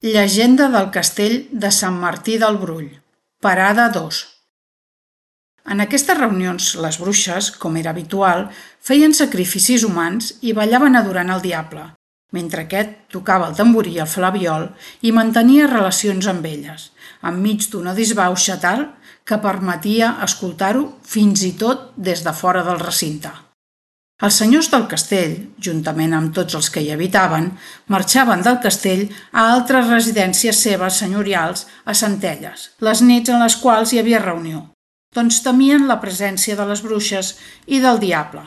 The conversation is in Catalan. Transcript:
Llegenda del castell de Sant Martí del Brull, parada 2. En aquestes reunions, les bruixes, com era habitual, feien sacrificis humans i ballaven adorant el diable, mentre aquest tocava el tamborí i el flabiol i mantenia relacions amb elles, enmig d'una disbauxa tal que permetia escoltar-ho fins i tot des de fora del recinte. Els senyors del castell, juntament amb tots els que hi habitaven, marxaven del castell a altres residències seves senyorials a Centelles, les nits en les quals hi havia reunió, doncs temien la presència de les bruixes i del diable.